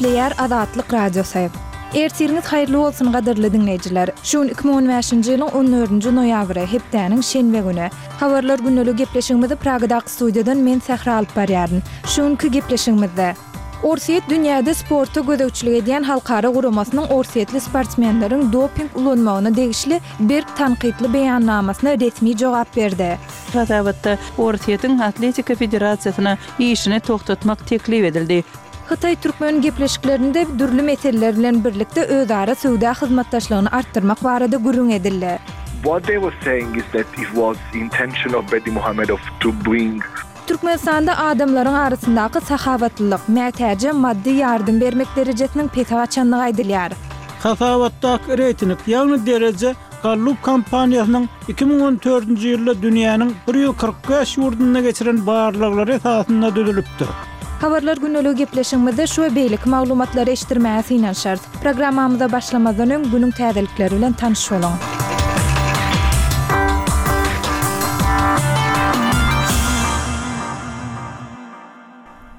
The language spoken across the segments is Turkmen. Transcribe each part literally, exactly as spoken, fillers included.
Gepleýär Azatlyk Radiosy. Ertiriňiz haýyrly bolsun gadyrly diňleýjiler. Şu gün iki müň on bäşinji ýylyň on dördünji noýabry, hepdäniň şenbe güni. Habarlar gündelik gepleşigimizi Pragadaky studiýadan men Sähra alyp barýaryn. Şu günki gepleşigimizde Orsýet dünýäde sporta gözegçilik edýän halkara guramasynyň orsýetli sportsmenleriň doping ulanmagyna degişli berk tankytly beýannamasyna resmi jogap berdi. Hasabatda Orsýetiň Atletika federasiýasyna işini togtatmak teklip edildi. Hytaý-türkmen gepleşiklerinde dürli meseleler bilen birlikde özara söwda hyzmatdaşlygyny artdyrmak barada gürrüň edildi. What they were saying is that it was intention of Berdimuhamedow to bring Türkmenistanda adamlaryň arasyndaky sahawatlylyk, mätäje maddy ýardam bermek derejesiniň pese gaçandygy aýdylýar. Hasabatdaky reýting, ýagny dereje Gallup kompaniýasynyň iki müň on dördünji ýylda dünýäniň bir ýüz kyrk bäş ýurdunda geçiren barlaglary esasynda düzülipdir. Habarlar gündelik gepleşigimizde şu we beýleki maglumatlary eşitdirmäge synanyşarys. Programmamyza başlamazdan öň günüň täzelikleri bilen tanyş boluň.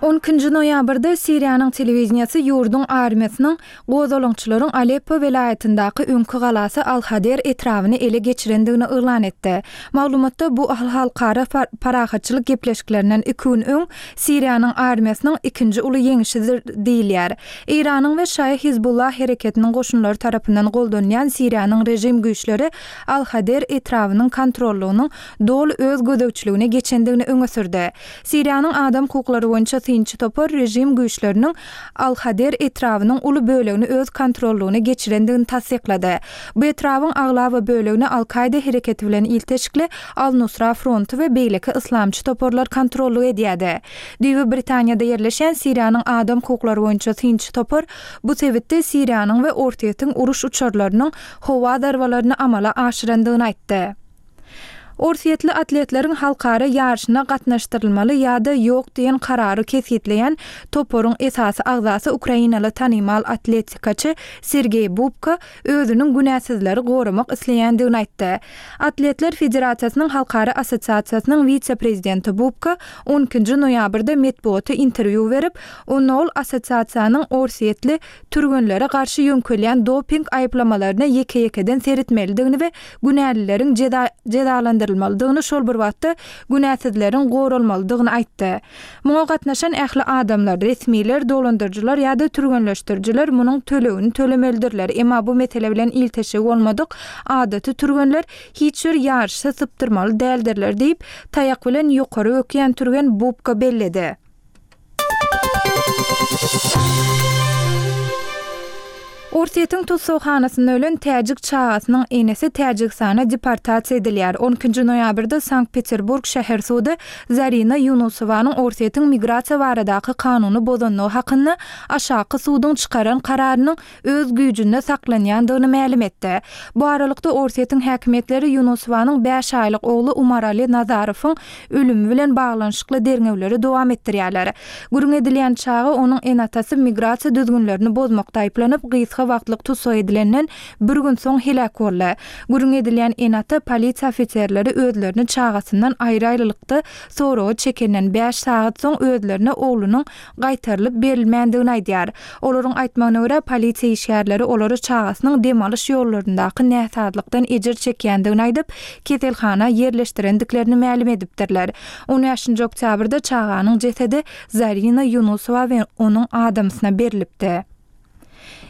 On ikinji noýabrda Siriýanyň telewideniýesi ýurduň armiýasynyň gozgalaňçylaryň Aleppo welaýatyndaky öňki galasy Al-Hader etrabyny ele geçirendigini yglan etdi. Maglumatda bu halkara parahatçylyk gepleşiklerinden iki gün öň Siriýanyň armiýasynyň ikinji uly ýeňişidir diýilýär. Eýranyň we Şaýy Hizbullah hereketiniň goşunlary tarapyndan goldanýan Siriýanyň režim güýçleri Al-Hader etrabynyň kontrollygynyň doly öz gözegçiligine geçendigini öňe sürdi. Siriýanyň adam hukuklary boýunça synçy topar režim güýçleriniň Al-Hader etrabynyň uly bölegini öz kontrollygyna geçirendigini tassyklady. Bu etrabyň aglaba bölegini Al-Kaida hereketi bilen ilteşikli Al-Nusra fronty we beýleki yslamçy toparlar kontrollyk edýärdi. Düýbi Britaniýada ýerleşen Siriýanyň adam hukuklary boýunça synçy topar bu sebitde Siriýanyň we Orsýetiň uruş uçarlarynyň howa zarbalaryny amala aşyrandygyny aýtdy. Orsýetli atletleriň halkara ýaryşyna gatnaşdyrylmaly ýa-da ýok diýen karary kesgitleýän toparyň esasy agzasy ukrainaly tanymal atletikaçy Sergeý Bubka özüniň günäsizleri goramak isleýändigini aýtdy. Atletler Federasiýasynyň Halkara Assosiasiýasynyň wise-prezidenti Bubka on ikinji noýabrda metbugata interwýu berip, onda ol assosiasiýanyň orsýetli türgenlere garşy ýöňkelýän doping aýyplamalaryna ýeke-ýekeden seretmelidigini we günälileriň jeza-, jezalandyrylmalydygyny, şol bir wagtda günäsizleriň goralmalydygyny aýtdy. Muňa gatnaşan ähli adamlar, resmiler, dolandyryjylar ýa-da türgenleşdirijiler munuň tölegini tölemelidirler. Emma bu mesele bilen ilteşigi bolmadyk adaty türgenler hiç bir ýaryşa sypdyrmaly däldirler diýip, taýak bilen ýokary ökýän türgen Bubka belledi. Orsýetiň tussaghanasynda ölen täjik çagasynyň enesi Täjigistana deportasiýa edilýär. On ikinji noýabrda Sankt-Peterburg şäher sudy Zarina Ýunusowanyň Orsýetiň migrasiýa baradaky kanuny bozanlygy hakynda aşaky suduň çykaran kararynyň öz güýjünde saklanýandygyny mälim etdi. Bu aralykda Orsýetiň häkimiýetleri Ýunusowanyň bäş aýlyk ogly Umarali Nazarowyň ölümi bilen baglanyşykly derňewleri dowam etdirýärler. Gürrüň edilýän çaga onuň ene-atasy migrasiýa düzgünlerini bozmakda aýyplanyp, gysga wagtlyk tussag edilenden bir gün soň heläk boldy. Gürrüň edilýän ene-ata polisiýa ofiserleri özlerini çagasyndan aýry-aýrylykda soraga çekenden bäş sagat soň özlerine oglunyň gaýtarylyp berilmändigini aýdýar. Olaryň aýtmagyna görä polisiýa işgärleri olary çagasynyň dem alyş ýollaryndaky näsazlykdan ejir çekýändigini aýdyp, keselhana ýerleşdirendiklerini mälim edipdirler. On bäşinji oktýabrda çaganyň jesedi Zarina Ýunusowa we onuň adamsyna berilipdi.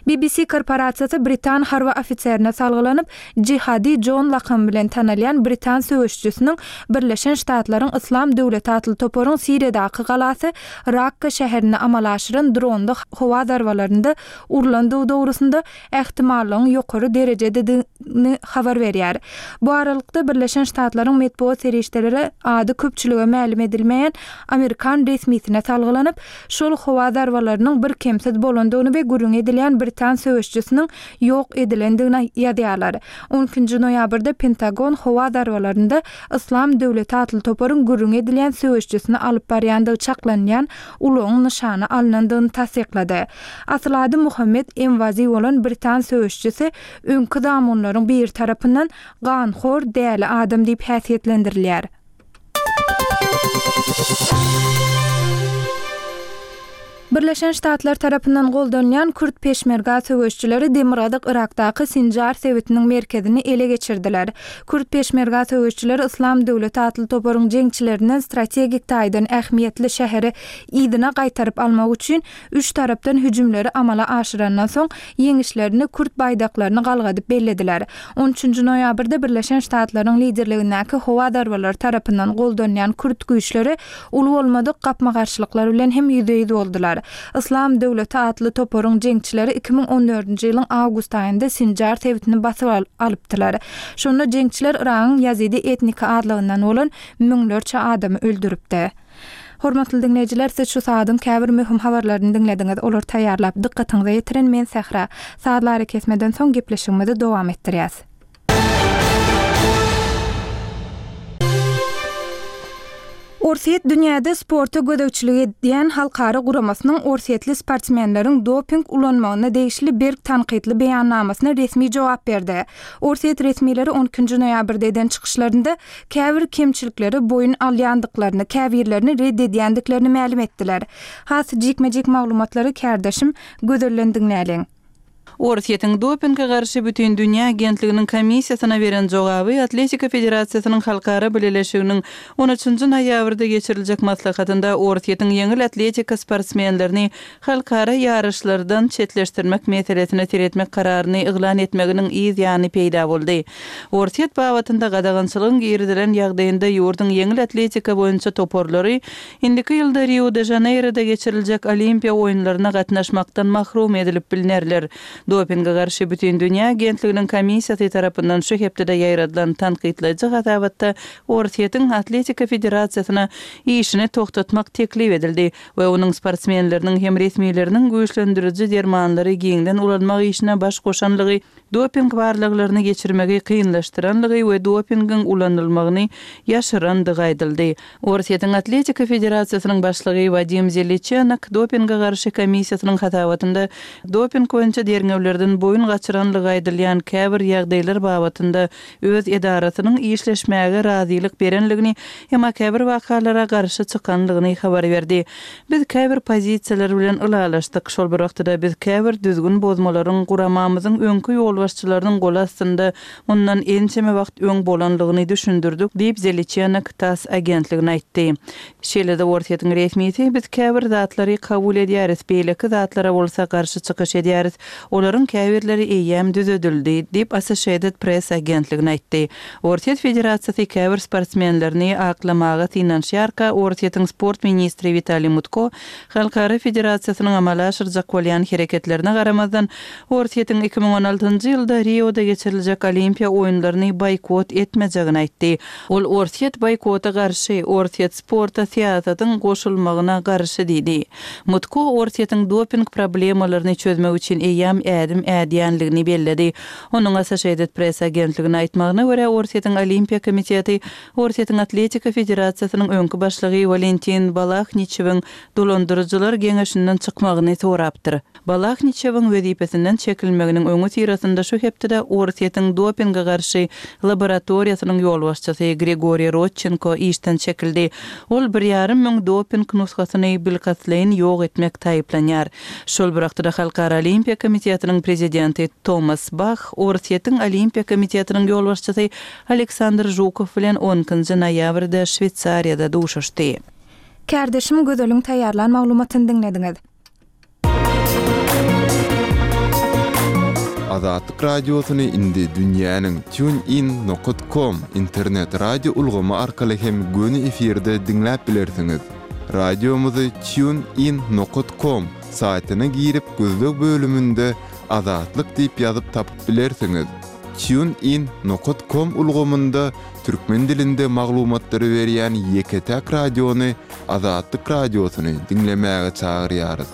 B B C korporasiýasy Britan harby ofiserine salgylanyp, Jihadi John lakamy bilen tanalýan Britan söweşçisiniň Birleşen Ştatlaryň Yslam döwleti atly toparyň Siriýadaky galasy Rakka şäherinde amala aşyran dronly howa zarbalarynda urlandygy dogrusynda ähtimallygyň ýokary derejededigini habar berýär. Bu aralykda Birleşen Ştatlaryň metbugat serişdeleri ady köpçülige mälim edilmeýän Amerikan resmisine salgylanyp, şol howa zarbalarynyň bir kemsiz bolandygyny we gürrüň edilýän Britan söweşçisiniň ýok edilendigini ýazýarlar. On ikinji noýabrda Pentagon howa zarbalarynda Yslam döwleti atly toparyň gürrüň edilýän söweşçisini alyp barýandygy çaklanýan ulagyň nyşana alynandygyny tassyklady. Asyl ady Muhammed Emwazi bolan Britan söweşçisi öňki zamunlaryň biri tarapyndan ganhor däli adam diýip häsiýetlendirilýär. Birleşen Ştatlar tarapyndan goldanýan Kürt Peşmerga söweşçileri Demirgazyk Yrakdaky Sinjar sebitiniň merkezini ele geçirdiler. Kürt Peşmerga söweşçileri Yslam döwleti atly toparyň jeňçilerinden strategik taýdan ähmiýetli şäheri yzyna gaýtaryp almak üçin üç tarapdan hüjümleri amala aşyrandan soň ýeňişlerini kürt baýdaklaryny galgadyp bellediler. On üçünji noýabrda Birleşen Ştatlaryň liderligindäki howa zarbalary tarapyndan goldanýan kürt güýçleri uly bolmadyk gapma-garşylyklar bilen hem ýüzbe-ýüz boldular. Yslam döwleti atly toparyň jeňçileri iki müň on dördünji ýylyň awgust aýynda Sinjar sebitini basyp alypdylar. Şonda jeňçiler Yragyň ýazidi etniki azlygyndan bolan müňlerçe adamy öldüripdi. Hormatly diňleýjiler, siz şu saadyň käbir möhüm habarlaryny diňlediňiz. Olar taýýarlap dykgatyňyza ýetiren men Sähra. Sazlary kesmeden soň gepleşigimizi dowam etdirýäs. Orsýet dünýäde sporta gözegçilik edýän halkara guramasynyň orsýetli sportsmenleriň doping ulanmagyna degişli berk tankytly beýannamasyna resmi jogap berdi. Orsýet resmileri on ikinji noýabrda eden çykyşlarynda käbir kemçilikleri boýun alýandyklaryny, käbirlerini red edýändiklerini mälim etdiler. Has jikme-jik maglumatlary kärdeşim Gözelden diňläliň. Orsýetiň dopinge garşy bütün dünýä agentliginiň komissiýasyna beren jogaby Atletika Federasiýasynyň halkara bileleşiginiň on üçünji noýabrda geçiriljek maslahatynda Orsýetiň ýeňil atletika sportsmenlerini halkara ýaryşlardan çetleşdirmek meselesine seretmek kararyny yglan etmeginiň yz ýany peýda boldy. Orsýet babatynda gadagançylygyň girizilen ýagdaýynda ýurduň ýeňil atletika boýunça toparlary indiki ýylda Rio de Janeiroda geçiriljek Olimpiýa oýunlaryna gatnaşmakdan mahrum edilip bilinerler. Dopinge garşy bütün dünýä agentliginiň komissiýasy tarapyndan şu hepdede ýaýradylan tankytlaýjy hasabatda Orsýetiň Atletika Federasiýasyna işini toxtatmak teklip edildi we onuň sportsmenleriniň hem resmileriniň güýçlendiriji dermanlary giňden ulanmak işine baş goşanlygy, doping barlaglaryny geçirmegi kynlaşdyranlygy we dopingiň ulanylmagyny ýaşyrandygy aýdyldy. Orsýetiň Atletika Federasiýasynyň başlygy Wadim Zeliçenok dopinge garşy komissiýasynyň hasabatynda doping boýunça derňewlerden boýun gaçyranlygy aýdylýan käbir ýagdaýlar babatynda öz edarasynyň işleşmäge razylyk berenligini, emma käbir wakalara garşy çykanlygyny habar berdi. Biz käbir pozisiýalar bilen ylalaşdyk. Şol bir wagtda biz käbir düzgün bozmalaryň guramamyzyň öňki ýolbaşçylarynyň gol astynda mundan ençeme wagt öň bolanlygyny düşündirdik diýip Zeliçenok TASS agentligine aýtdy. Şeýle-de Orsýetiň resmisi biz käbir zatlary kabul edýäris, beýleki zatlara bolsa garşy çykyş edýäris. Olaryň käbirleri eýýäm düzedildi diýip Associated Press agentligine aýtdy. Orsýet Federasiýasy käbir sportsmenlerini aklamaga synanyşýarka Orsýetiň sport ministri Witaliý Mutko Halkara Federasiýasynyň amala aşyrjak bolýan hereketlerine garamazdan Orsýetiň iki müň on altynjy ýylda Rioda geçiriljek Olimpiýa oýunlaryny boýkot etmejegini aýtdy. Ol Orsýet boýkota garşy, Orsýet sporta syýasatyň goşulmagyna garşy diýdi. Mutko Orsýetiň doping problemalaryny çözmek üçin eýýäm ädim ädýänligini belledi. Onuň Associated Press agentligine aýtmagyna görä Orsýetiň Olimpiýa komiteti Orsýetiň Atletika Federasiýasynyň öňki başlygy Walentin Balahniçewiň dolandyryjylar geňeşinden çykmagyny sorapdyr. Balahniçewiň wezipesinden çekilmeginiň öňi syrasynda şu hepdede Orsýetiň dopinge garşy laboratoriýasynyň ýolbaşçysy Grigoriý Rodçenko işden çekildi. Ol bir ýarym müň doping nusgasyny bilkastlaýyn ýok etmek taýyplanýar. Şol bir wagtda Halkara Olimpiýa komitetiniň prezidenti Tomas Bach Orsýetiň Olimpiýa komitetiniň ýolbaşçysy Aleksandr Žukow bilen on ikinji noýabrda Şweýsariýada duşuşdy. Kärdeşim Gözeliň taýýarlan maglumatyny diňlediňiz. Azatlyk radiosyny indi dünýäniň tunein nokta com internet radio ulgamy arkaly hem göni efirde diňläp bilersiňiz. Radiomyzy tunein nokta com saýtyna girip gözleg bölüminde Azatlyk diýip ýazyp tapyp bilersiňiz. Tunein nokta com ulgamynda türkmen dilinde maglumatlary berýän ýeke-täk radiony Azatlyk radiosyny diňlemäge çagyrýarys.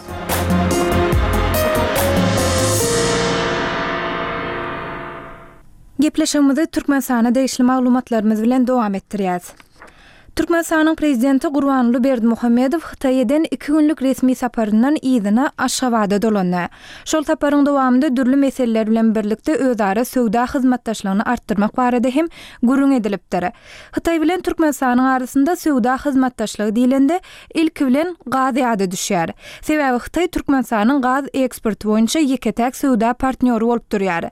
Gepleşigimizi Türkmenistana degişli maglumatlarymyz bilen dowam etdirýäris. Türkmenistanyň Prezidenti Gurbanguly Berdimuhamedow Hytaýa eden iki günlük resmi saparyndan yzyna Aşgabada dolandy. Şol saparyň dowamynda dürli meseleler bilen birlikde özara söwda hyzmatdaşlygyny artdyrmak barada hem gürrüň edilipdir. Hytaý bilen Türkmenistanyň arasynda söwda hyzmatdaşlygy diýlende, ilki bilen gaz ýada düşýär. Sebäbi Hytaý Türkmenistanyň gaz eksporty boýunça ýeke-täk söwda partnýory bolup durýar.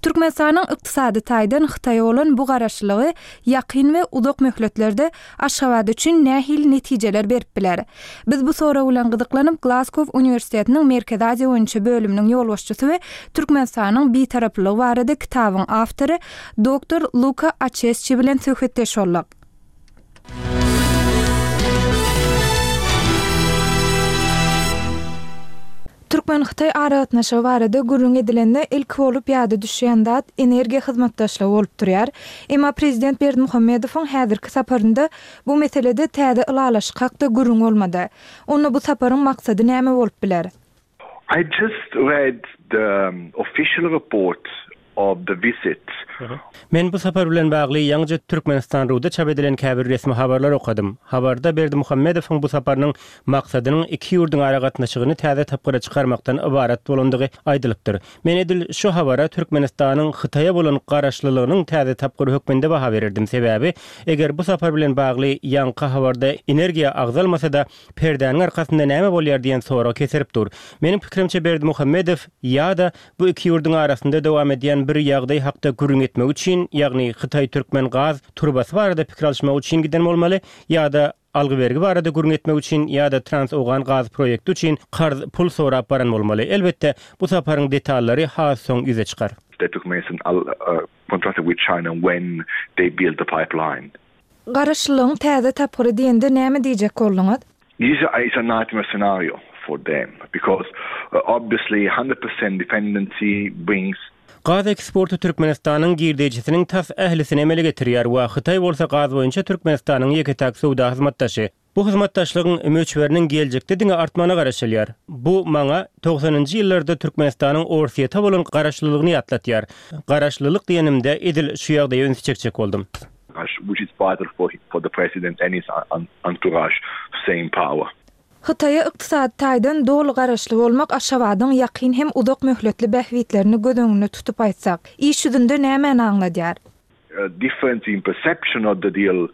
Türkmenistanyň ykdysady taýdan Hytaýa bolan bu garaşlylygy ýakyn we uzak möhletlerde Aşgabat üçin nähili netijeler berip biler? Biz bu sorag bilen gyzyklanyp, Glazgow uniwersitetiniň Merkezi Aziýa boýunça bölüminiň ýolbaşçysy we Türkmenistanyň Bitaraplygy barada kitabyň awtory doktor Luka Açesçi bilen söhbetdeş bolduk. Türkmen-hytaý aragatnaşygy barada gürrüň edilende, ilki bolup ýada düşýän zat energiýa hyzmatdaşlygy bolup durýar. Emma prezident Berdimuhamedowyň häzirki saparynda bu meselede täze ylalaşyk hakda gürrüň bolmady. Onda bu saparyň maksady näme bolup biler? I just read the official report of the visit. Men bu sapar bilen bagly ýaňyja Türkmenistan Ruda çap edilen käbir resmi habarlary okadym. Habarda Berdimuhamedowyň bu saparynyň maksadynyň iki ýurduň aragatnaşygyny täze tapgyra çykarmakdan ybarat bolandygy aýdylypdyr. Men edil şu habara Türkmenistanyň Hytaýa bolan garaşlylygynyň täze tapgyry hökmünde baha bererdim. Sebäbi eger bu sapar bilen bagly ýaňky habarda energiýa agzalmasa-da, perdäniň arkasynda näme bolýar diýen sorag keserip dur. Meniň pikirimçe Berdimuhamedow ýa-da bu iki ýurduň arasynda dowam edýän bir ýagdaý hakda gürrüň etmek üçin, ýagny Hytaý-Türkmen gaz turbasy barada pikir alyşmak üçin giden bolmaly, ýa-da algy-bergi barada gürrüň etmek üçin ýa-da Trans-Owgan gaz proýekti üçin karz pul sorap baran bolmaly. Elbetde, bu saparyň detallary has soň ýüze çykar. That Turkmenistan contracted with China when they built the pipeline. Garaşlylygyň täze tapgyry diýende näme diýjek bolduňyz? This is a nightmare scenario for them because obviously hundred percent dependency brings Gaz eksporty Türkmenistanyň girdejisiniň tas ählisini emele getirýär we Hytaý bolsa gaz boýunça Türkmenistanyň ýeke-täk söwda hyzmatdaşy. Bu hyzmatdaşlygyň möçberiniň geljekde diňe artmagyna garaşylýar. Bu maňa togsanynjy ýyllarda Türkmenistanyň Orsýete bolan garaşlylygyny ýatlatýar. Garaşlylyk diýenimde edil şu ýagdaýa ünsi çekjek boldum. Which is vital for for the president and his entourage to stay in power. Hytaýa ykdysady taýdan doly garaşly bolmak Aşgabadyň ýakyn hem uzak möhletli bähbitlerini göz öňünde tutup aýtsak, iş ýüzünde nämäni aňladýar? Difference in perception of the deal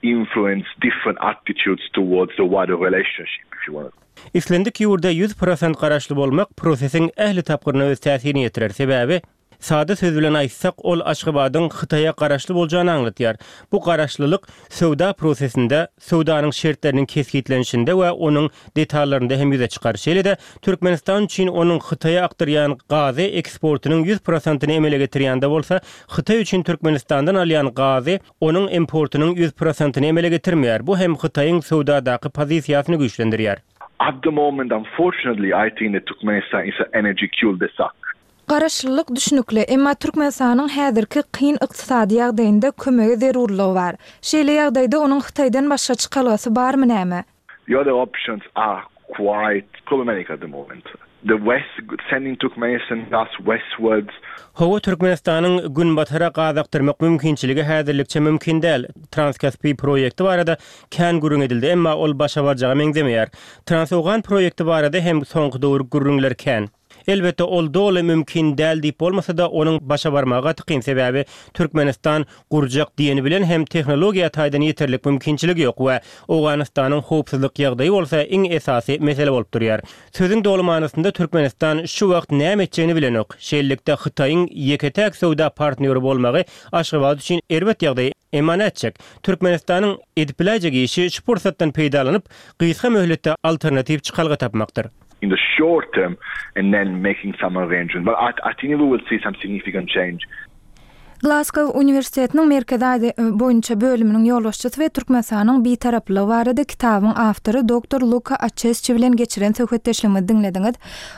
influence different attitudes towards the wider relationship, if you want. Islendik ýurda ýüz prosent garaşly bolmak prosesiň ähli tapgyryna öz täsirini ýetirer. Sebäbi, sada söz bilen aýtsak, ol Aşgabadyň Hytaýa garaşly boljagyny aňladýar. Bu garaşlylyk söwda prosesinde, söwdanyň şertleriniň kesgitlenişinde we onuň detallarynda hem ýüze çykar. Şeýle-de, Türkmenistan üçin onuň Hytaýa akdyrýan gazy eksportynyň ýüz prosentyny emele getirýän-de bolsa, Hytaý üçin Türkmenistandan alýan gazy onuň importynyň ýüz prosentyny emele getirmeýär. Bu hem Hytaýyň söwdadaky pozisiýasyny güýçlendirýär. At the moment, unfortunately, I think that Turkmenistan is an energy cul-de-sac. Garaşlylyk düşnükli, emma Türkmenistanyň häzirki kyn ykdysady ýagdaýynda kömege zerurlygy bar. Şeýle ýagdaýda onuň Hytaýdan başga çykalgasy barmy näme? The other options are quite problematic at the moment. The West sending Turkmenistan gas westwards. Hawa, Türkmenistanyň günbatara gaz akdyrmak mümkinçiligi häzirlikçe mümkin däl. Transkaspi proýekti barada kän gürrüň edildi, emma ol başa barjaga meňzemeýär. Transowgan proýekti barada hem soňky döwür gürrüňler kän. Elbetde, ol doly mümkin däl diýip bolmasa-da, onuň başa barmagy gaty kyn, sebäbi Türkmenistan gurjak diýeni bilen hem tehnologiýa taýdan ýeterlik mümkinçiligi ýok we Owganystanyň howpsuzlyk ýagdaýy bolsa iň esasy mesele bolup durýar. Sözüň doly manysynda Türkmenistan şu wagt näme etjegini bilenok. Şeýlelikde, Hytaýyň ýeke-täk söwda partnýory bolmagy Aşgabat üçin erbet ýagdaý. Emma nätjek? Türkmenistanyň edip biläýjek işi şu pursatdan peýdalanyp, gysga möhletde alternatiw çykalga tapmakdyr. In the short term and then making some arrangement. But I, I think we will see some significant change. Glasgow uniwersitetiniň Merkezi Aziýa boýunça bölüminiň ýolbaşçysy we Türkmenistanyň Bitaraplygy barada kitabyň awtory doktor Luka Açesçi bilen geçiren söhbetdeşligimizi diňlediňiz.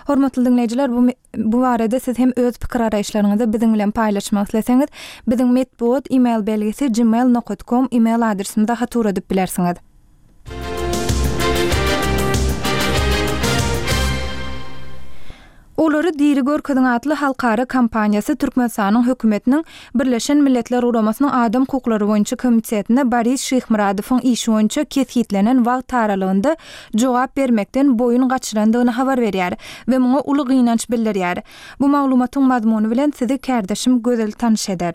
Hormatly diňleýjiler, bu bu barada siz hem öz pikir-garaýyşlaryňyzy biziň bilen paýlaşmak isleseňiz, biziň metbugat e-mail belgisi gmail nokat com e-mail adresimize hat ugradyp bilersiňiz. Olary Olary diri görkeziň atly halkara kampaniýasy Türkmenistanyň hökümetiniň Birleşen Milletler Guramasynyň Adam hukuklary boýunça komitetine Boris Şyhmyradowyň işi boýunça kesgitlenen wagt aralygynda jogap bermekden boýun gaçyrandygyny habar berýär we muňa uly gynanç bildirýär. Bu maglumatyň mazmuny bilen sizi kärdeşim Gözel tanyş eder.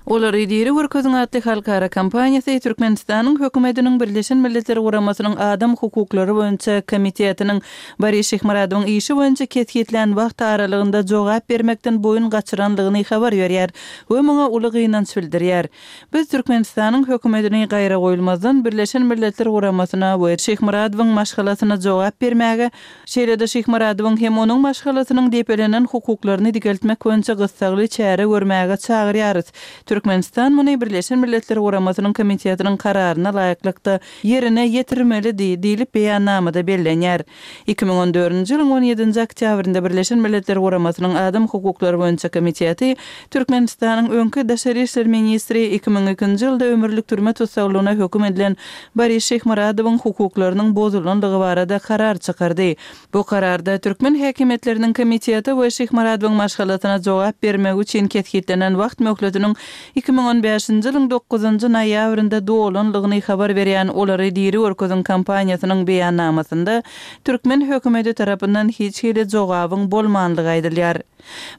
Olary diri görkeziň atly halkara kampaniýasy Türkmenistanyň hökümetiniň Birleşen Milletler Guramasynyň Adam hukuklary boýunça komitetiniň Boris Şyhmyradowyň işi boýunça kesgitlän wagt aralygynda jogap bermekden boýun gaçyrandygyny habar berýär we muňa uly gynanç bildirýär. Biz Türkmenistanyň hökümetini gaýragoýulmazdan Birleşen Milletler Guramasyna we Şyhmyradowyň maşgalasyna jogap bermäge, şeýle-de Şyhmyradowyň hem onuň maşgalasynyň depelenen hukuklaryny dikeltmek boýunça gyssagly çäre görmäge çagyrýarys. Türkmenistan muny Birleşen Milletler Guramasynyň komitetiniň kararyna laýyklykda ýerine ýetirmelidi diýlip beýannamada bellenýär. Iki müň on dördünji ýylyň on ýedinji oktýabrynda Birleşen Milletler Guramasynyň Adam hukuklary boýunça komiteti Türkmenistanyň öňki daşary işler ministri iki müň ikinji ýylda ömürlik türme tussaglygyna höküm edilen Boris Şyhmyradowyň hukuklarynyň bozulandygy barada karar çykardy. Bu kararda türkmen häkimiýetleriniň komiteti we Şyhmyradowyň maşgalasyna jogap bermegi üçin kesgitlenen wagt möhletiniň iki müň on bäşinji ýylyň dokuzynjy noýabrynda dolanlygyny habar berýän Olary diri görkeziň kampaniýasynyň beýannamasynda türkmen hökümeti tarapyndan hiç hili jogabyň bolmanlygy aýdylýar.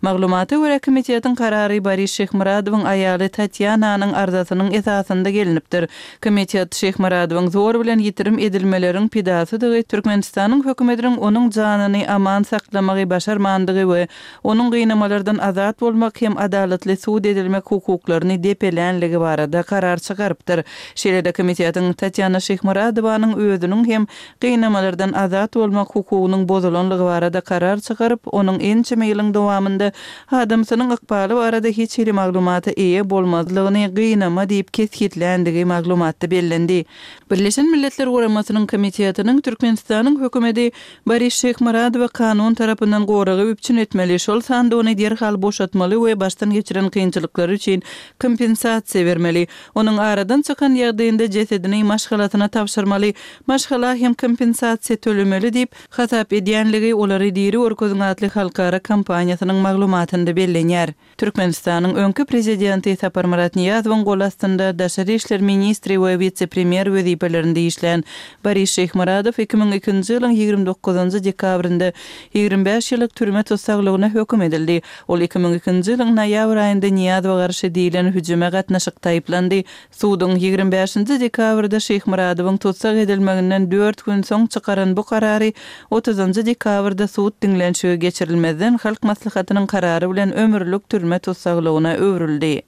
Maglumata görä komitetiň karary Boris Şyhmyradowyň aýaly Tatýananyň arzasynyň esasynda gelinipdir. Komitet Şyhmyradowyň zor bilen ýitirim edilmeleriň pidasydygy, Türkmenistanyň hökümetiniň onuň janyny aman saklamagy başarmandygy we onuň gynamalardan azat bolmak hem adalatly sud edilmek hukuklaryny depelänligi barada karar çykarypdyr. Şeýle-de komitetiň Tatýana Şyhmyradowanyň özüniň hem gynamalardan azat bolmak hukugynyň bozulanlygy barada karar çykaryp, onuň ençeme ýylyň dowamynda adamsynyň ykbaly barada hiç hili maglumata eýe bolmazlygyny gynama diýip kesgitländigi maglumatda bellendi. Birleşen Milletler Guramasynyň komitetiniň Türkmenistanyň hökümeti Boris Şyhmyradowy kanun tarapyndan goragy üpjün etmeli, şol sanda ony derhal boşatmaly we başdan geçiren kynçylyklary üçin kompensasiýa bermeli. Onuň aradan çykan ýagdaýynda jesedini maşgalasyna tabşyrmaly, maşgala hem kompensasiýa tölemeli diýip hasap edýänligi Olary diri görkeziň atly halkara kampaniýasynyň maglumatynda bellenýär. Türkmenistanyň öňki prezidenti Saparmyrat Nyýazowyň gol astynda daşary işler ministri we wise-premýer wezipelerinde işlän Boris Şyhmyradow iki müň ikinji ýylyň ýigrimi dokuzynjy dekabrynda ýigrimi bäş ýyllyk türme tussaglygyna höküm edildi. Ol iki müň ikinji ýylyň noýabr aýynda Nyýazowa garşy diýlen hüjüme gatnaşyk taýyplandy. Suduň ýigrimi bäşinji dekabrda Şyhmyradowyň tussag edilmeginden dört gün soň çykaran bu karary otuzynjy dekabrda sud diňlenişigi geçirilmezden Halk Maslahatynyň karary bilen ömürlik türme tussaglygyna öwrüldi.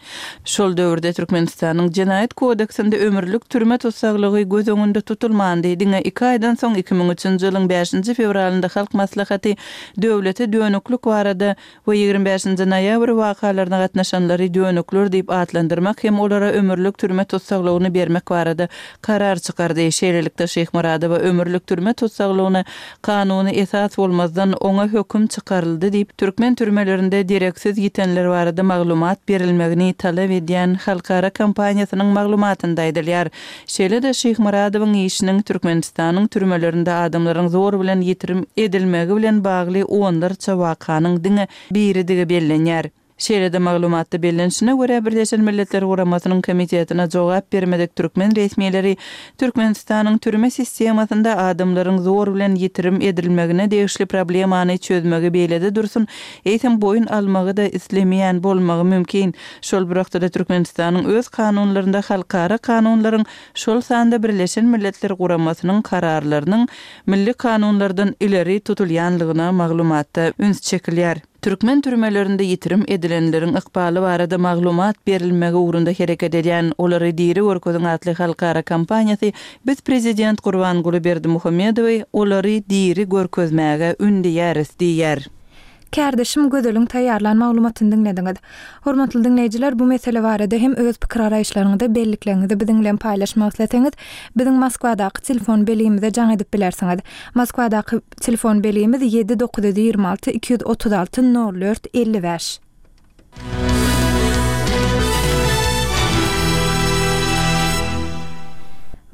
Şol döwürde Türkmenistanyň Jenaýat kodeksinde ömürlik türme tussaglygy göz öňünde tutulmandy. Diňe iki aýdan soň iki müň üçünji ýylyň bäşinji fewralynda Halk Maslahaty döwlete dönüklik barada we ýigrimi bäşinji noýabr wakalaryna gatnaşanlary dönükler diýip atlandyrmak hem olara ömürlik türme tussaglygyny bermek barada karar çykardy. Şeýlelikde Şyhmyradowa ömürlik türme tussaglygyna kanuny esas bolmazdan oňa höküm çykaryldy diýip türkmen türmelerinde dereksiz ýitenler barada maglumat berilmegini talap edýän halkara kampaniýasynyň maglumatynda aýdylýar. Şeýle-de Şyhmyradowyň işiniň Türkmenistanyň türmelerinde adamlaryň zor bilen ýitirim edilmegi bilen bagly onlarça wakanyň diňe biridigi bellenýär. Şeýle-de maglumatda bellenişine görä Birleşen Milletler Guramasynyň komitetine jogap bermedik türkmen resmileri Türkmenistanyň türme sistemasynda adamlaryň zor bilen ýitirim edilmegine degişli problemany çözmegi beýlede dursun, eýsem boýun almagy da islemeýän bolmagy mümkin. Şol bir wagtda Türkmenistanyň öz kanunlarynda halkara kanunlaryň, şol sanda Birleşen Milletler Guramasynyň kararlarynyň milli kanunlardan ileri tutulýanlygyna maglumatda üns çekilýär. Türkmen türmelerinde ýitirim edilenleriň ykbaly barada maglumat berilmegi ugrunda hereket edýän Olary diri görkeziň atly halkara kampaniýasy biz prezident Gurbanguly Berdimuhamedowy olary diri görkezmäge ündeýäris diýýär. Kärdeşim Gözeliň taýýarlan maglumatyny diňlediňiz. Hormatly diňleýjiler, bu mesele barada hem öz pikir garaýyşlaryňyzy, bellikleriňizi biziň bilen paýlaşmak isleseňiz, biziň Moskwadaky telefon belgimize jaň edip bilersiňiz. Moskwadaky telefon belgimiz ýedi dokuz ýüz ýigrimi alty iki ýüz otuz alty nol dört elli bäş.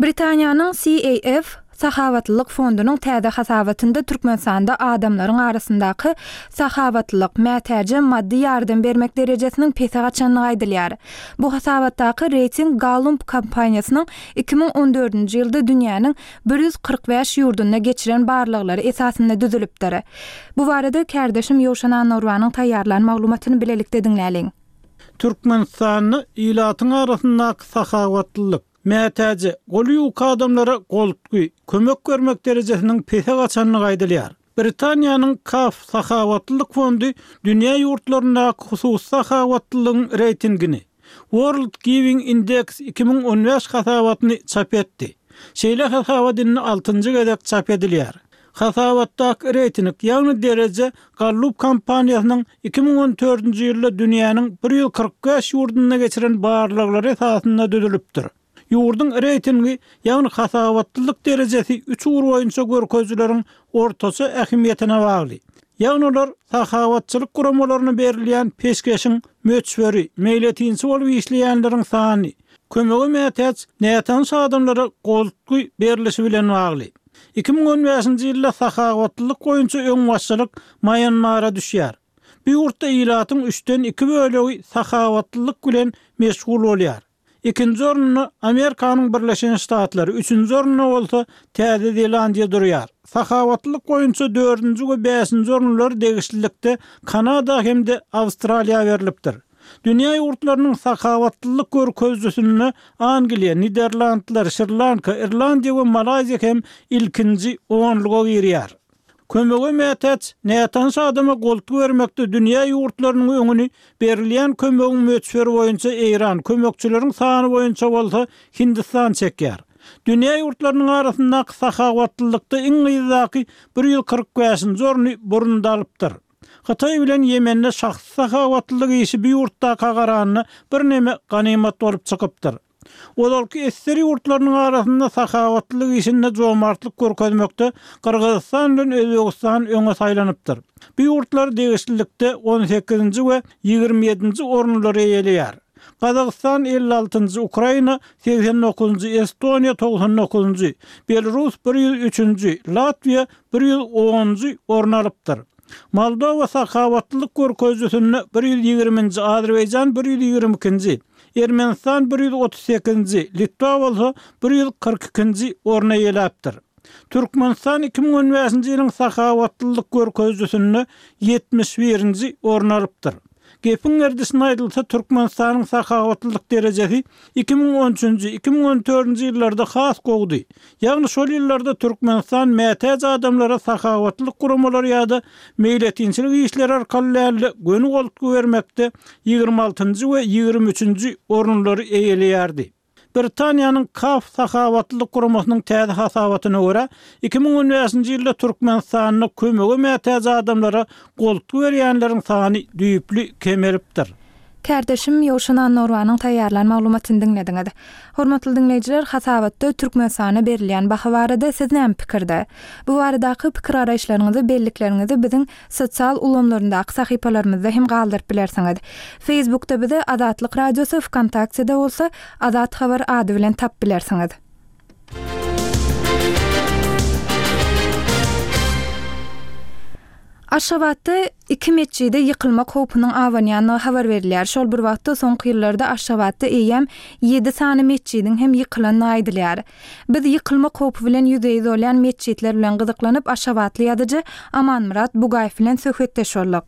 Britaniýanyň C A F Sahawatlylyk fondunyň täze hasabatynda Türkmenistanda adamlaryň arasyndaky sahawatlylyk, mätäje maddy ýardam bermek derejesiniň pese gaçandygy aýdylýar. Bu hasabatdaky reýting Gallup kompaniýasynyň iki müň on dördünji ýylda dünýäniň bir ýüz kyrk bäş ýurdunda geçiren barlaglary esasynda düzülipdir. Bu barada kärdeşim Ýowşan Annagurbanyň taýýarlan maglumatyny bilelikde diňläliň. Türkmenistanda ilatyň arasyndaky sahawatlylyk, mätäje, goly ýuka adamlara goltgy, kömek bermek derejesiniň pese gaçandygy aýdylýar. Britaniýanyň Kaf sahawatlylyk fondy dünýä ýurtlaryndaky hususy sahawatlylygyň reýtingini World Giving Index iki müň on bäş hasabatyny çap etdi. Şeýle hasabat indi altynjy gezek çap edilýär. Hasabatdaky reýting, ýagny dereje Gallup kompaniýasynyň iki müň on dördünji ýylda dünýäniň bir ýüz kyrk bäş ýurdunda geçiren barlaglary esasynda düzülipdir. Ýurduň reýtingi, ýagny hasabatlylyk derejesi üç ugur boýunça görkezijileriň ortaça ähmiýetine bagly. Ýagny olar sahabatçylyk guramalaryna berilýän peşgeşiň möçberi, meýletinçi bolup işleýänleriň sany, kömege mätäç nätanyş adamlara goltgy berilişi bilen bagly. Iki müň on bäşinji ýylda sahabatlylyk boýunça öňbaşçylyk Mýanmara düşýär. Bu ýurtda ilatyň üçden iki bölegi sahabatlylyk bilen meşgul bolýar. Ikinji orunda Amerikanyň Birleşen Ştatlary, üçünji orunda bolsa Täze Zelandiýa durýar. Sahabatlylyk boýunça dördünji we bäşinji orunlar degişlilikde Kanada hem-de Awstraliýa berilipdir. Dünýä ýurtlarynyň sahabatlylyk görkezijisinde Angliýa, Niderlandlar, Şri-Lanka, Irlandiýa we Malaýziýa hem ilkinji onluga girýär. Kömege mätäç nätanyş adama goltgy bermekde dünýä ýurtlarynyň öňüni berilýän kömegiň möçberi boýunça Eýran, kömekçileriň sany boýunça bolsa Hindistan çekýär. Dünýä ýurtlarynyň arasyndaky sahabatlylykda iň yzdaky bir ýüz kyrk bäşinji orny burunda alypdyr. Hytaý bilen Ýemende şahsy sahabatlylyk işi bir ýurtdaka garanda birneme ganymat bolup çykypdyr. Ozalky esser ýurtlarynyň arasynda sahabatlylyk işinde jomartlyk görkezmekde Gyrgyzystan bilen Özbegistan öňe saýlanypdyr. Bu ýurtlar degişlilikde on sekizinji we ýigrimi ýedinji orunlary eýeleýär. Gazagystan elli altynjy, Ukraina segsen dokuzynjy, Estoniýa togsan dokuzynjy, Belarus bir ýüz üçünji, Latwiýa bir ýüz onunjy orun alypdyr. Moldowa sahabatlylyk görkezijisinde bir ýüz ýigriminji, Azerbaýjan bir ýüz ýigrimi ikinji, Ermenistan bir ýüz otuz sekizinji, Litwa bolsa bir ýüz kyrk ikinji orna eýeläpdir. Türkmenistan iki müň on bäşinji ýylyň sahabatlylyk görkezijisinde ýetmiş birinji orun alypdyr. Gepiň gerdişine aýdylsa, Türkmenistanyň sahabatlylyk derejesi iki müň on üçünji, iki müň on dördünji ýyllarda has gowdy. Ýagny şol ýyllarda Türkmenistan mätäç adamlara sahabatlylyk guramalary ýa-da meýletinçilik işleri arkaly däl-de göni goltgy bermekde ýigrimi altynjy we ýigrimi üçünji orunlary eýeleýärdi. Britaniýanyň Kaf sahabatlylyk guramasynyň täze hasabatyna görä, iki müň on bäşinji ýylda Türkmenistanda kömege mätäç adamlara goltgy berýänleriň sany düýpli kemelipdir. Kärdeşim Ýowşan Annagurbanyň taýýarlan maglumatyny diňlediňiz. Hormatly diňleýjiler, hasabatda Türkmenistana berilýän baha barada siz näme pikirde? Bu baradaky pikir garaýyşlaryňyzy, bellikleriňizi biziň sosial ulgamlaryndaky sahypalarymyzda hem galdyryp bilersiňiz. Facebookda bizi Azatlyk Radiosy, Vkontaktede bolsa Azat Habar ady bilen tap bilersiňiz. Aşgabatda iki metjide ýykylmak howpunyň abanýandygy habar berilýär. Şol bir wagtda soňky ýyllarda Aşgabatda eýýäm ýedi sany metjidiň hem ýykylandygy aýdylýar. Biz ýykylmak howpy bilen ýüzbe-ýüz bolýan metjitler bilen gyzyklanyp Aşgabatly ýazyjy Amanmyrat Bugaýew bilen söhbetdeş bolduk.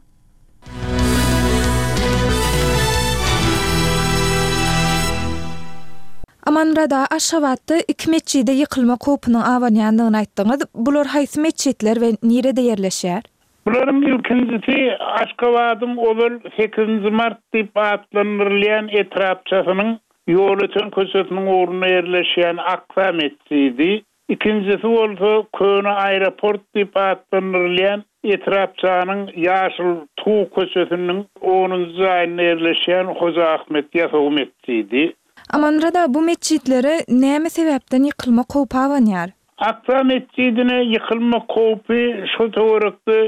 Amanmyrat aga, Aşgabatda iki metjide ýykylmak howpunyň abanýandygyny aýtdyňyz. Bular haýsy metjitler we nirede ýerleşýär? Bularyň ilkinjisi Aşgabadyň ozal sekizinji mart diýip atlandyrylýan etrapçasynyň Ýolöten köçesiniň ugrunda ýerleşýän Aksa metjidi, ikinjisi bolsa Köne aeroport diýip atlandyrylýan etrapçanyň Ýaşyl Tug köçesiniň onunjy jaýynda ýerleşýän Hoja Ahmet Ýasawy metjidi. Amanmyrat aga, bu metjitlere näme sebäpden ýykylmak howpy abanýar? Aksa metjidine ýykylmak howpy şu töwerekde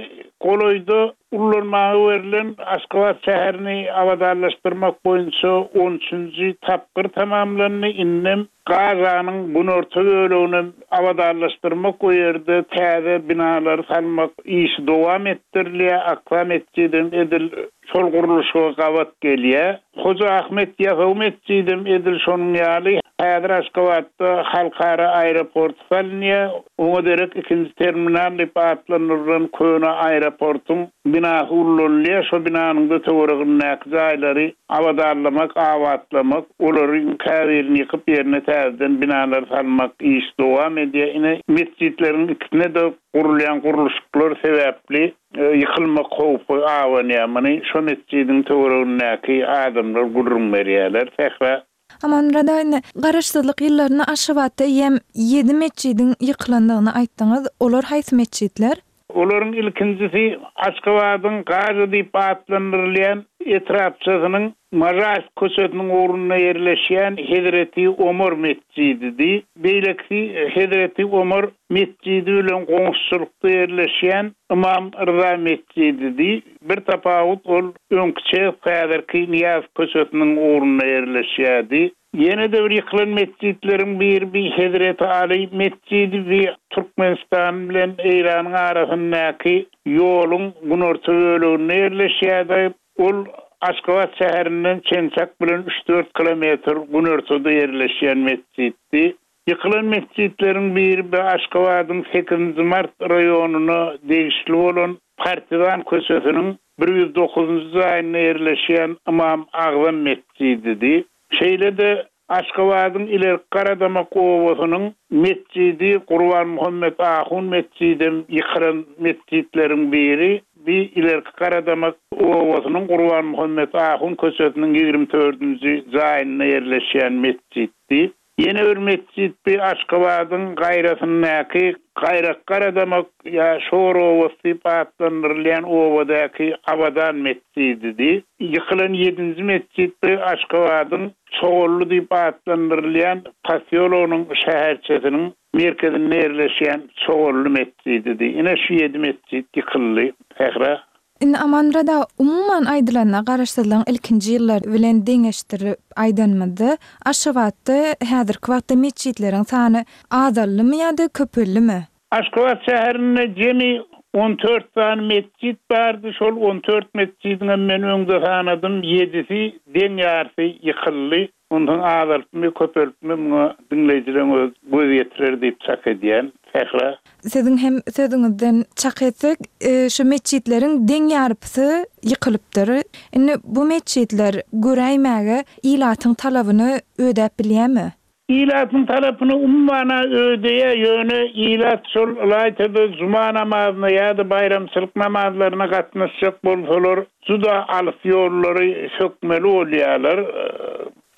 Golaýda ullanmaga berlen Aşgabat şäherini abadanlaşdyrmak boýunça on üçünji tapgyr tamamlandy. Indem Gazanyň günorta bölegini abadanlaşdyrmak o ýerde täze binalary salmak işi dowam etdirilýär. Aksa metjidem edil şol gurluşyga gabat gelýär. Hoja Ahmet Ýasawy metjidem edil şonuň ýaly. Häzir Aşgabatda halkara aeroport salynýar. Oňa derek ikinji terminal diýip atlandyrylan köne aeroportuň binasy ullanylýar. Şo binanyň da töweregindäki jaýlary abadanlamak, abatlamak, olary käbirini ýykyp ýerine täzeden binalar salmak iş dowam edýär. Ine metjitleriň ikisine de gurulýan gurluşyklar sebäpli ýykylmak howpy abanýar. Muny şo metjidiň töweregindäki adamlar gürrüň berýärler. Sähra Amanmurad aga, indi garaşsyzlyk ýyllarynda Aşgabatda eýýäm ýedi metjidiň ýykylandygyny aýtdyňyz. Olar haýsy metjitler? Olaryň ilkinjisi Aşgabadyň Gazy diýip atlandyrylýan etrapçasynyň Mažaş köçesiniň ugrunda ýerleşýän Hezreti Omar metjididi. Beýlekisi Hezreti Omar metjidi bilen goňşuçylykda ýerleşýän Imam Rza metjididi. Bir tapawut ol öňki häzirki Niýaz köçesiniň ugrunda ýerleşýärdi. Ýene de bir ýykylan metjitleriň biri bir Hezreti Ali metjidi bir Türkmenistan bilen Eýranyň arasyndaky ýoluň günorta böleginde ýerleşýärdi. Ol Aşgabat şäherinden çençak bilen üç dört kilometr günortada ýerleşýän metjitdi. Ýykylan metjitleriň biri bir Aşgabadyň sekizinji mart raýonyna degişli bolan Partizan köçesiniň bir ýüz dokuzynjy jaýynda ýerleşýän Imam Agzam metjididi. Şeýle-de Aşgabadyň ilerki Garadamak obasynyň metjidi Gurban Muhammed Ahun metjidem ýykylan metjitleriň biri. Bir ilerki Garadamak obasynyň Gurban Muhammed Ahun köçesiniň ýigrimi dördünji jaýynda ýerleşýän metjitdi. Ýene bir metjit bir Aşgabadyň gaýrasyndaky Gaýrak Garadamak ýa Şor obasy diýip atlandyrylýan obadaky Abadan metjididi. Ýykylan ýedinji metjit bir Aşgabadyň Çogully diýip atlandyrylýan posýologynyň şäherçesiniň merkezinde ýerleşýän Çogully metjididi. Ine şu ýedi metjit ýykyldy. Sähra. Indi Amanmurad aga, umuman aýdylanda garaşsyzlygyň ilkinji ýyllary bilen deňeşdirip aýdanymyzda Aşgabatda häzirki wagtda metjitleriň sany azaldymy ýa-da köpeldimi? Aşgabat şäherinde jemi on dört sany metjit bardy. Şol on dört metjidiň men öňde sanadym, ýedisi deň ýarysy ýykyldy. Ondan azaltmy, köpeltmi muňa diňleýjileriň öz göz ýetirer diýip çak edýän. Sähra. Siziň hem sözüňizden çak etsek, e, şu metjitleriň deň ýarpysy ýykylypdyr. Indi bu metjitler göräýmäge ilatyň talabyny ödäp bilýärmi? Ilatyň tarapyny ummana ödeýär, ýöne ilat şol ylaýtada juma namazyna ýa-da baýramçylyk namazlaryna gatnaşjak bolsalar, juda alys ýollary sökmeli bolýarlar.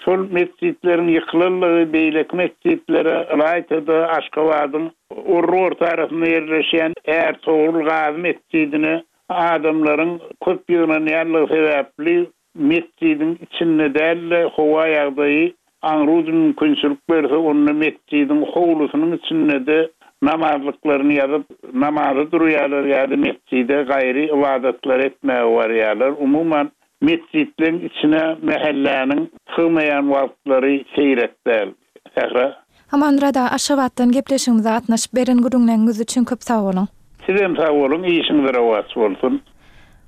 Şol metjitleriň ýykylanlygy beýleki metjitlere ylaýtada Aşgabadyň Orry orta arasynda ýerleşýän Ärtogrul Gazy metjidine adamlaryň köp ýygnanýanlygy sebäpli metjidiň içinde däl-de howa ýagdaýy aňruz mümkinçilik berse, onda metjidiň howlusynyň içinde de namazlyklaryny ýazyp namaza durýarlar ýa-da metjide gaýry ibadatlar etmäge barýarlar. Umuman metjitleriň içine mähelläniň sygmaýan wagtlary seýrek däl. Sähra. Amanmurad aga, Aşgabatdan gepleşigimize gatnaşyp beren gürrüňleriňiz üçin köp sag boluň. Sizem sag boluň, işiňiz rowaç bolsun.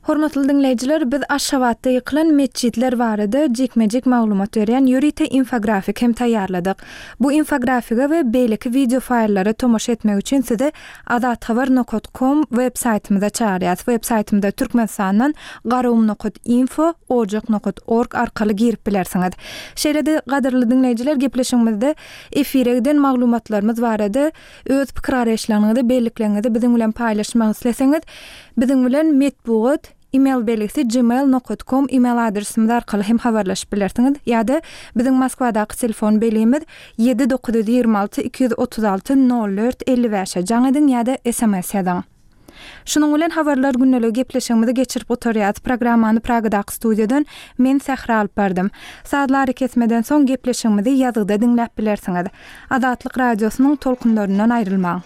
Hormatly diňleýjiler, biz Aşgabatda ýykylan metjitler barada jikme-jik maglumat berýän ýörite infografik hem taýýarladyk. Bu infografige we beýleki video faýllara tomaşa etmek üçin sizi azathabar nokta com web saýtymyza çağırýarys. Web saýtymyzda Türkmenistandan garum nokta info, ojak nokta org arkaly girip bilersiňiz. Şeýle-de gadyrly diňleýjiler, gepleşigimizde efire giden maglumatlarymyz barada öz pikir araýyşlaryňyzy, bellikleriňizi biziň bilen paýlaşmak isleseňiz, biziň bilen metbugat e-mail belgisi gmail nokta com e-mail adresimiz arkaly hem habarlaşyp bilersiňiz. Ýa-da biziň Moskwadaky telefon belgimiz ýedi dokuz ýüz ýigrimi alty iki ýüz otuz alty nol dört elli bäşe jaň ediň ýa-da S M S ýazyň. Şunuň bilen habarlar gündelik gepleşigimizi geçirip oturýarys. Programmany Pragadaky studiýadan men Sähra alyp bardym. Sazlary kesmeden soň gepleşigimizi ýazgyda diňläp bilersiňiz. Azatlyk radiosynyň tolkunlaryndan aýrylmaň.